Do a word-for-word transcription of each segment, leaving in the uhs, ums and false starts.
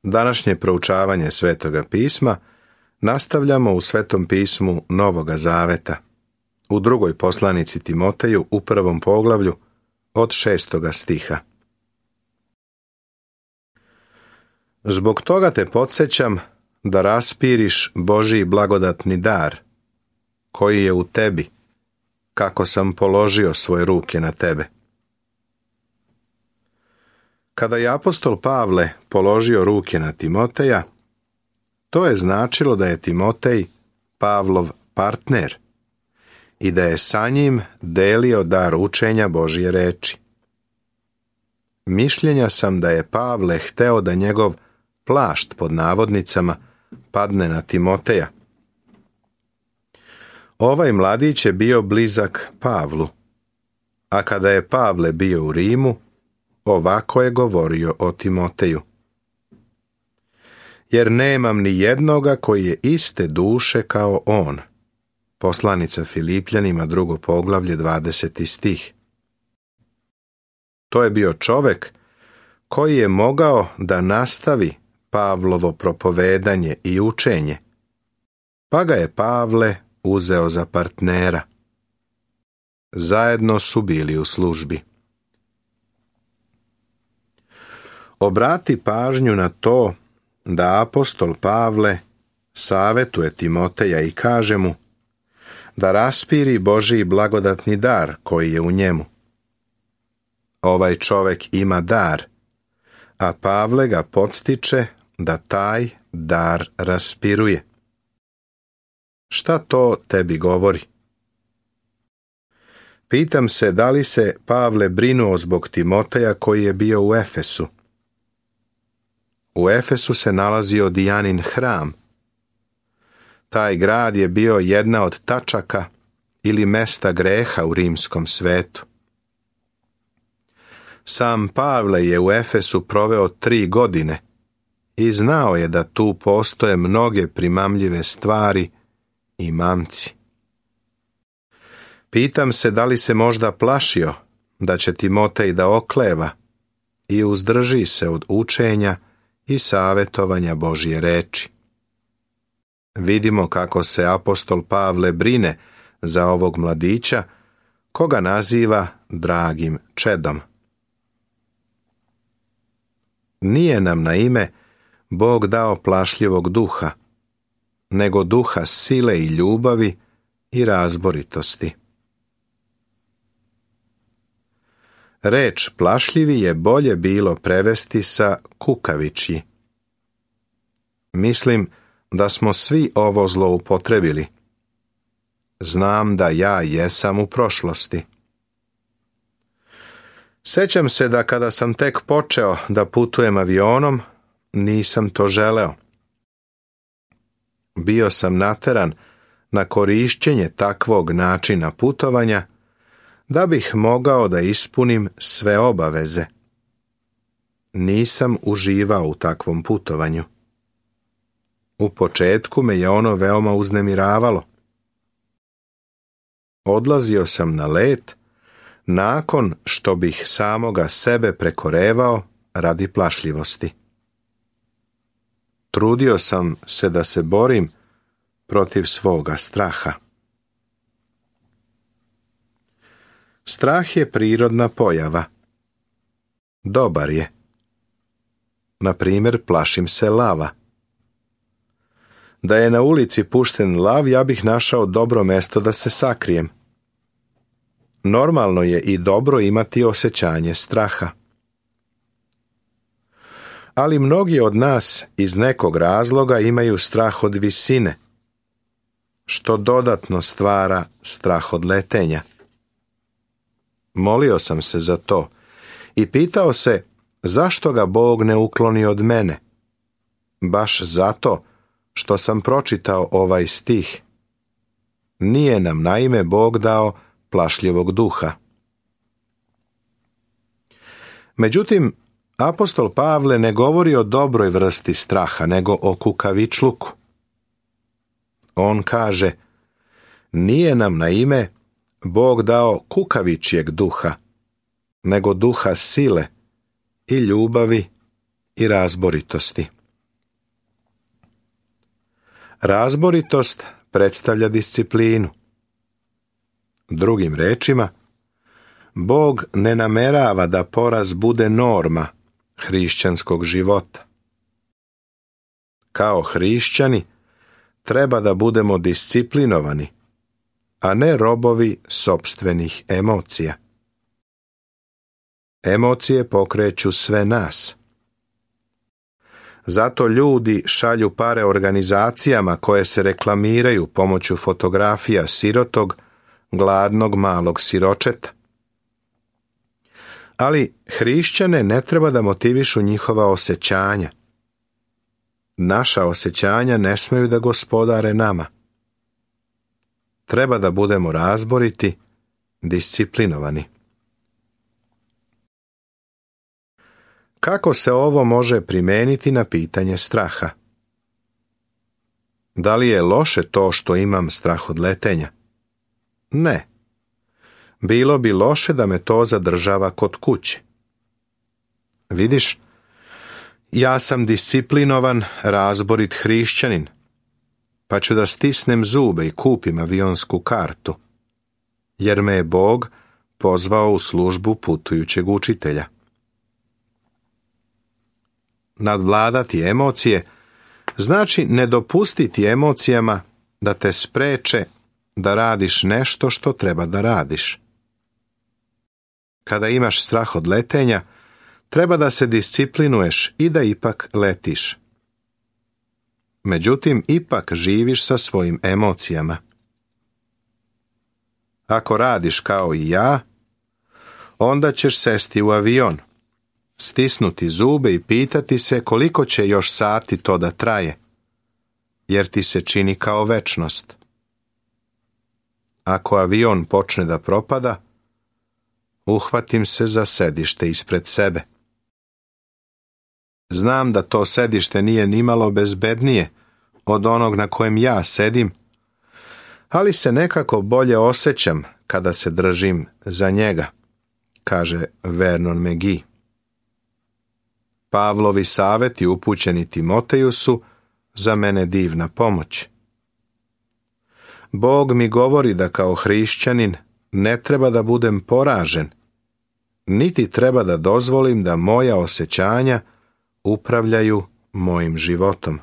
Današnje proučavanje Svetoga pisma nastavljamo u Svetom pismu Novoga Zaveta, u drugoj poslanici Timoteju u prvom poglavlju od šestoga stiha. Zbog toga te podsjećam da raspiriš Božji blagodatni dar, koji je u tebi, kako sam položio svoje ruke na tebe. Kada je apostol Pavle položio ruke na Timoteja, to je značilo da je Timotej Pavlov partner i da je sa njim delio dar učenja Božje reči. Mišljenja sam da je Pavle hteo da njegov plašt pod navodnicama padne na Timoteja. Ovaj mladić je bio blizak Pavlu, a kada je Pavle bio u Rimu, ovako je govorio o Timoteju. Jer nemam ni jednoga koji je iste duše kao on. Poslanica Filipljanima, drugo poglavlje, dvadeseti stih. To je bio čovek koji je mogao da nastavi Pavlovo propovedanje i učenje, pa ga je Pavle uzeo za partnera. Zajedno su bili u službi. Obrati pažnju na to da apostol Pavle savetuje Timoteja i kaže mu da raspiri Božji blagodatni dar koji je u njemu. Ovaj čovek ima dar, a Pavle ga podstiče da taj dar raspiruje. Šta to tebi govori? Pitam se da li se Pavle brinuo zbog Timoteja koji je bio u Efesu. U Efesu se nalazio Dijanin hram. Taj grad je bio jedna od tačaka ili mesta greha u rimskom svetu. Sam Pavle je u Efesu proveo tri godine i znao je da tu postoje mnoge primamljive stvari i mamci. Pitam se da li se možda plašio da će Timotej da okleva i uzdrži se od učenja i savetovanja Božje reči. Vidimo kako se apostol Pavle brine za ovog mladića, koga naziva dragim čedom. Nije nam na ime Bog dao plašljivog duha, nego duha sile i ljubavi i razboritosti. Reč plašljivi je bolje bilo prevesti sa kukavičji. Mislim da smo svi ovo zloupotrebili. Znam da ja jesam u prošlosti. Sećam se da kada sam tek počeo da putujem avionom, nisam to želeo. Bio sam nateran na korišćenje takvog načina putovanja da bih mogao da ispunim sve obaveze. Nisam uživao u takvom putovanju. U početku me je ono veoma uznemiravalo. Odlazio sam na let nakon što bih samoga sebe prekorevao radi plašljivosti. Trudio sam se da se borim protiv svoga straha. Strah je prirodna pojava. Dobar je. Na primjer, plašim se lava. Da je na ulici pušten lav, ja bih našao dobro mesto da se sakrijem. Normalno je i dobro imati osjećanje straha. Ali mnogi od nas iz nekog razloga imaju strah od visine, što dodatno stvara strah od letenja. Molio sam se za to i pitao se zašto ga Bog ne ukloni od mene. Baš zato što sam pročitao ovaj stih. Nije nam naime Bog dao plašljivog duha. Međutim, apostol Pavle ne govori o dobroj vrsti straha, nego o kukavičluku. On kaže, nije nam na ime Bog dao kukavičjeg duha, nego duha sile i ljubavi i razboritosti. Razboritost predstavlja disciplinu. Drugim rečima, Bog ne namerava da poraz bude norma hrišćanskog života. Kao hrišćani treba da budemo disciplinovani, a ne robovi sopstvenih emocija. Emocije pokreću sve nas. Zato ljudi šalju pare organizacijama koje se reklamiraju pomoću fotografija sirotog, gladnog malog siročeta. Ali hrišćane ne treba da motivišu njihova osjećanja. Naša osjećanja ne smeju da gospodare nama. Treba da budemo razboriti, disciplinovani. Kako se ovo može primeniti na pitanje straha? Da li je loše to što imam strah od letenja? Ne. Bilo bi loše da me to zadržava kod kuće. Vidiš, ja sam disciplinovan, razborit hrišćanin, pa ću da stisnem zube i kupim avionsku kartu, jer me je Bog pozvao u službu putujućeg učitelja. Nadvladati emocije znači ne dopustiti emocijama da te spreče da radiš nešto što treba da radiš. Kada imaš strah od letenja, treba da se disciplinuješ i da ipak letiš. Međutim, ipak živiš sa svojim emocijama. Ako radiš kao i ja, onda ćeš sesti u avion, stisnuti zube i pitati se koliko će još sati to da traje, jer ti se čini kao večnost. Ako avion počne da propada, uhvatim se za sedište ispred sebe. Znam da to sedište nije nimalo bezbednije od onog na kojem ja sedim, ali se nekako bolje osjećam kada se držim za njega, kaže Vernon McGee. Pavlovi savjeti upućeni Timoteju su za mene divna pomoć. Bog mi govori da kao hrišćanin ne treba da budem poražen, niti treba da dozvolim da moja osjećanja upravljaju mojim životom.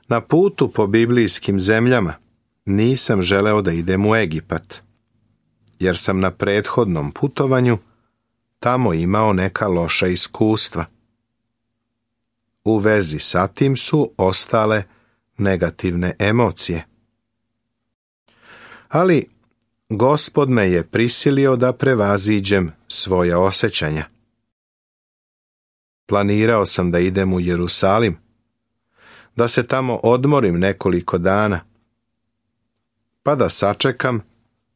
Na putu po biblijskim zemljama nisam želeo da idem u Egipat, jer sam na prethodnom putovanju tamo imao neka loša iskustva. U vezi sa tim su ostale negativne emocije. Ali Gospod me je prisilio da prevaziđem svoja osjećanja. Planirao sam da idem u Jerusalim, da se tamo odmorim nekoliko dana, pa da sačekam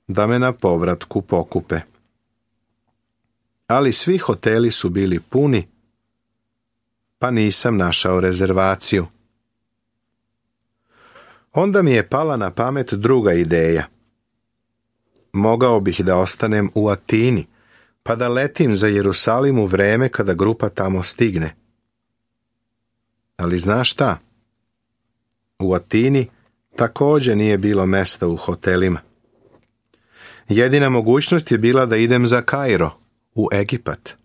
da me na povratku pokupe. Ali svi hoteli su bili puni, pa nisam našao rezervaciju. Onda mi je pala na pamet druga ideja. Mogao bih da ostanem u Atini, pa da letim za Jerusalim u vreme kada grupa tamo stigne. Ali znaš šta? U Atini također nije bilo mesta u hotelima. Jedina mogućnost je bila da idem za Kairo, u Egipat.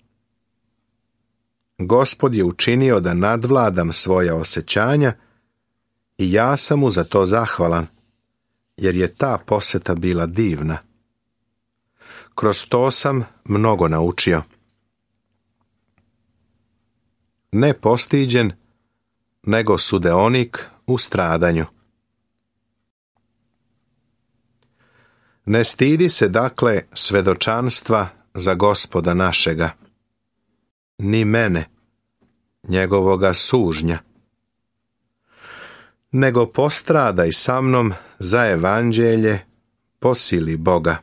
Gospod je učinio da nadvladam svoja osjećanja i ja sam mu za to zahvalan, jer je ta poseta bila divna. Kroz to sam mnogo naučio. Ne postiđen, nego sudeonik u stradanju. Ne stidi se dakle svedočanstva za Gospoda našega, ni mene, njegovoga sužnja, nego postradaj sa mnom za evanđelje po sili Boga.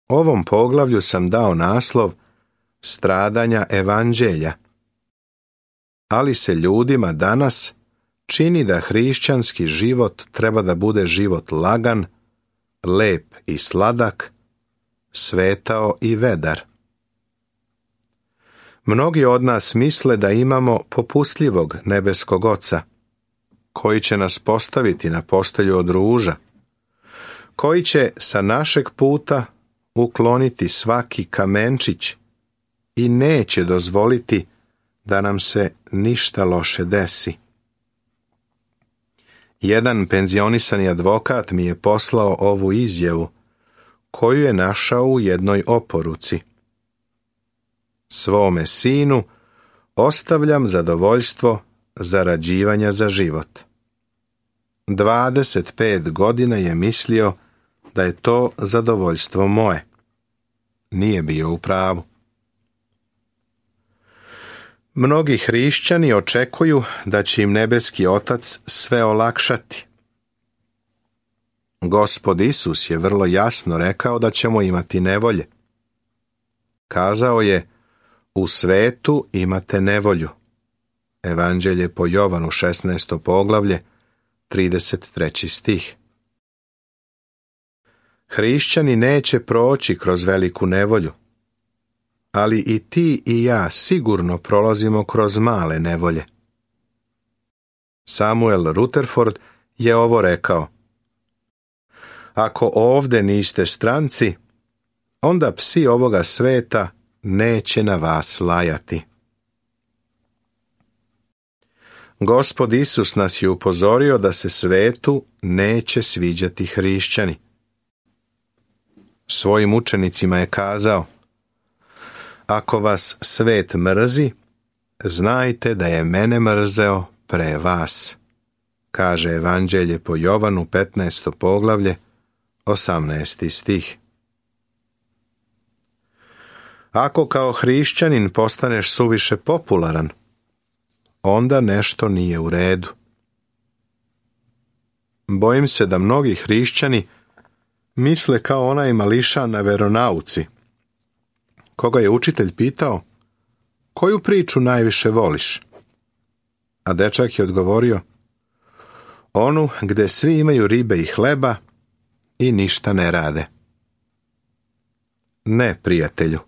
Ovom poglavlju sam dao naslov Stradanja evanđelja, ali se ljudima danas čini da hrišćanski život treba da bude život lagan, lep i sladak, svetao i vedar. Mnogi od nas misle da imamo popustljivog nebeskog Oca, koji će nas postaviti na postelju od ruža, koji će sa našeg puta ukloniti svaki kamenčić i neće dozvoliti da nam se ništa loše desi. Jedan penzionisani advokat mi je poslao ovu izjavu, koju je našao u jednoj oporuci. Svome sinu ostavljam zadovoljstvo zarađivanja za život. dvadeset pet godina je mislio da je to zadovoljstvo moje. Nije bio u pravu. Mnogi hrišćani očekuju da će im nebeski Otac sve olakšati. Gospod Isus je vrlo jasno rekao da ćemo imati nevolje. Kazao je, u svetu imate nevolju. Evanđelje po Jovanu šesnaesto poglavlje, trideset treći stih. Hrišćani neće proći kroz veliku nevolju, ali i ti i ja sigurno prolazimo kroz male nevolje. Samuel Rutherford je ovo rekao. Ako ovde niste stranci, onda psi ovoga sveta neće na vas lajati. Gospod Isus nas je upozorio da se svetu neće sviđati hrišćani. Svojim učenicima je kazao, ako vas svet mrzi, znajte da je mene mrzeo pre vas, kaže Evanđelje po Jovanu petnaesto poglavlje, osamnaesti stih. Ako kao hrišćanin postaneš suviše popularan, onda nešto nije u redu. Bojim se da mnogi hrišćani misle kao onaj mališan na veronauci, koga je učitelj pitao, koju priču najviše voliš? A dečak je odgovorio, onu gde svi imaju ribe i hleba i ništa ne rade. Ne, prijatelju.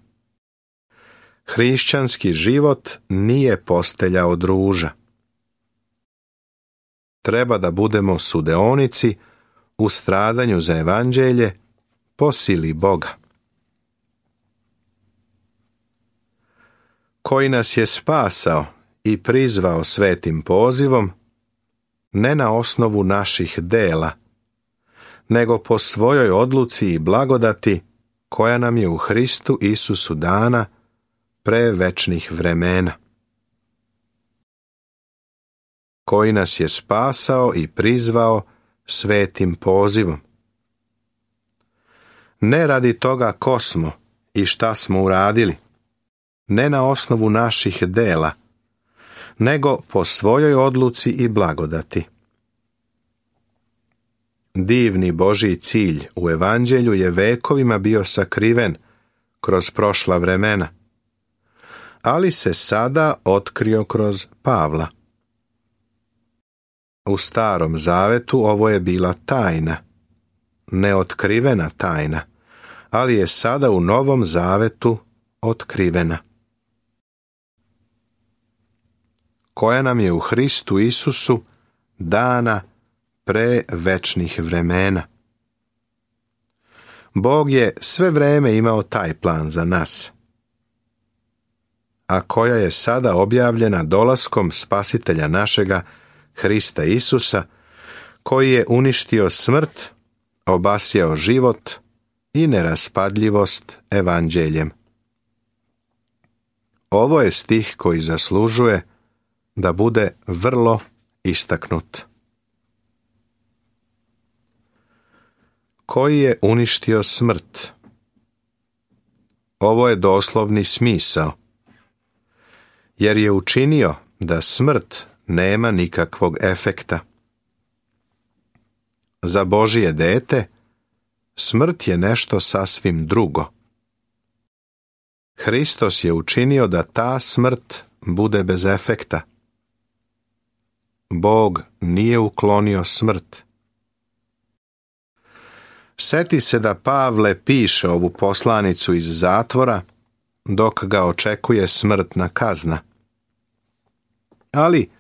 Hrišćanski život nije postelja od ruža. Treba da budemo sudeonici u stradanju za evanđelje po sili Boga. Koji nas je spasao i prizvao svetim pozivom, ne na osnovu naših dela, nego po svojoj odluci i blagodati koja nam je u Hristu Isusu dana pre večnih vremena. Koji nas je spasao i prizvao svetim pozivom. Ne radi toga ko smo i šta smo uradili, ne na osnovu naših dela, nego po svojoj odluci i blagodati. Divni Božji cilj u evanđelju je vekovima bio sakriven kroz prošla vremena, ali se sada otkrio kroz Pavla. U Starom Zavetu ovo je bila tajna, neotkrivena tajna, ali je sada u Novom Zavetu otkrivena, koja nam je u Hristu Isusu dana pre večnih vremena. Bog je sve vreme imao taj plan za nas, a koja je sada objavljena dolaskom Spasitelja našega, Hrista Isusa, koji je uništio smrt, obasjao život i neraspadljivost evanđeljem. Ovo je stih koji zaslužuje da bude vrlo istaknut. Koji je uništio smrt? Ovo je doslovni smisao, jer je učinio da smrt nema nikakvog efekta. Za Božije dete smrt je nešto sasvim drugo. Hristos je učinio da ta smrt bude bez efekta. Bog nije uklonio smrt. Seti se da Pavle piše ovu poslanicu iz zatvora dok ga očekuje smrtna kazna. Ali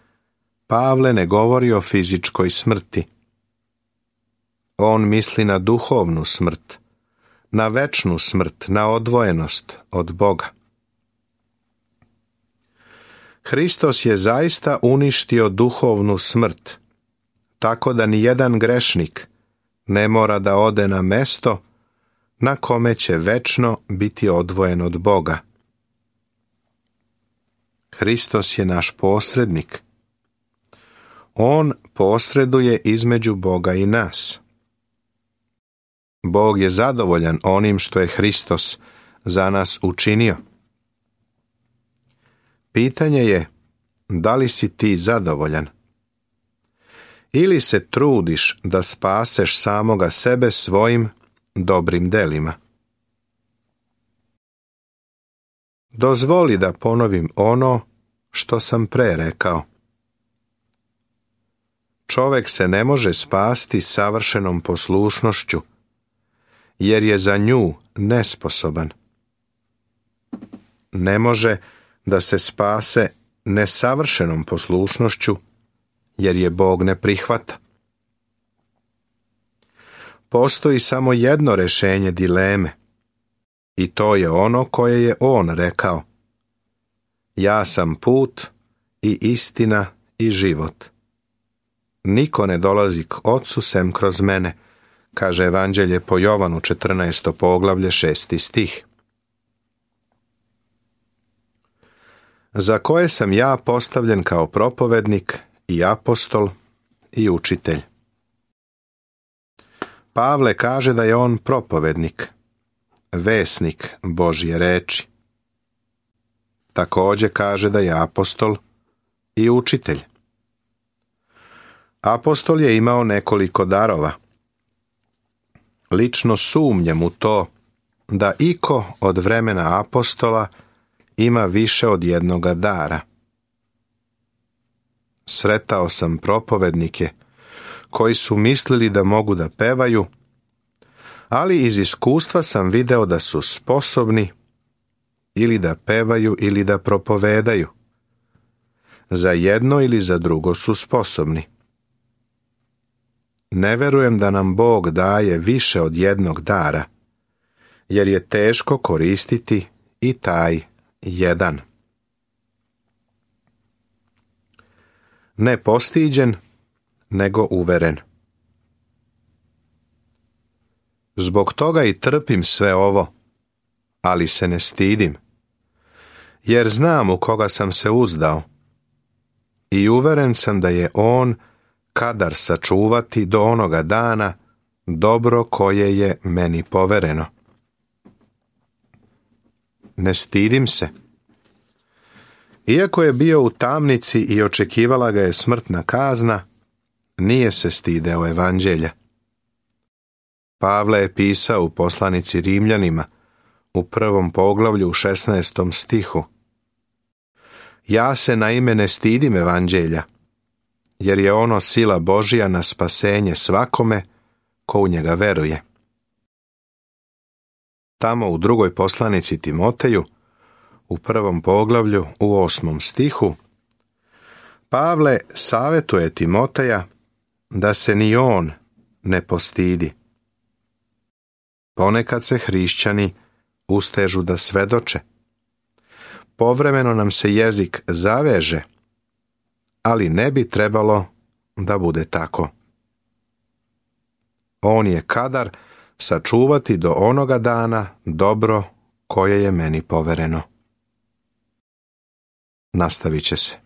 Pavle ne govori o fizičkoj smrti. On misli na duhovnu smrt, na večnu smrt, na odvojenost od Boga. Hristos je zaista uništio duhovnu smrt, tako da ni jedan grešnik ne mora da ode na mesto na kome će večno biti odvojen od Boga. Hristos je naš posrednik. On posreduje između Boga i nas. Bog je zadovoljan onim što je Hristos za nas učinio. Pitanje je, da li si ti zadovoljan? Ili se trudiš da spaseš samoga sebe svojim dobrim delima? Dozvoli da ponovim ono što sam pre rekao. Čovek se ne može spasti savršenom poslušnošću, jer je za nju nesposoban. Ne može da se spase nesavršenom poslušnošću, jer je Bog ne prihvata. Postoji samo jedno rešenje dileme, i to je ono koje je On rekao: ja sam put i istina i život. Niko ne dolazi k Otcu sem kroz mene, kaže Evanđelje po Jovanu četrnaesto poglavlje šesti stih. Za koje sam ja postavljen kao propovednik i apostol i učitelj. Pavle kaže da je on propovednik, vesnik Božje reči. Također kaže da je apostol i učitelj. Apostol je imao nekoliko darova. Lično sumnjam u to da iko od vremena apostola ima više od jednoga dara. Sretao sam propovednike koji su mislili da mogu da pevaju, ali iz iskustva sam video da su sposobni ili da pevaju ili da propovedaju. Za jedno ili za drugo su sposobni. Ne verujem da nam Bog daje više od jednog dara, jer je teško koristiti i taj jedan. Ne postiđen, nego uveren. Zbog toga i trpim sve ovo, ali se ne stidim, jer znam u koga sam se uzdao i uveren sam da je On kadar sačuvati do onoga dana dobro koje je meni povereno. Ne stidim se. Iako je bio u tamnici i očekivala ga je smrtna kazna, nije se stideo evanđelja. Pavle je pisao u poslanici Rimljanima u prvom poglavlju u šesnaestom stihu: ja se naime ne stidim evanđelja, jer je ono sila Božja na spasenje svakome ko u njega veruje. Tamo u drugoj poslanici Timoteju, u prvom poglavlju u osmom stihu, Pavle savjetuje Timoteja da se ni on ne postidi. Ponekad se hrišćani ustežu da svedoče. Povremeno nam se jezik zaveže, ali ne bi trebalo da bude tako. On je kadar sačuvati do onoga dana dobro koje je meni povereno. Nastavit će se.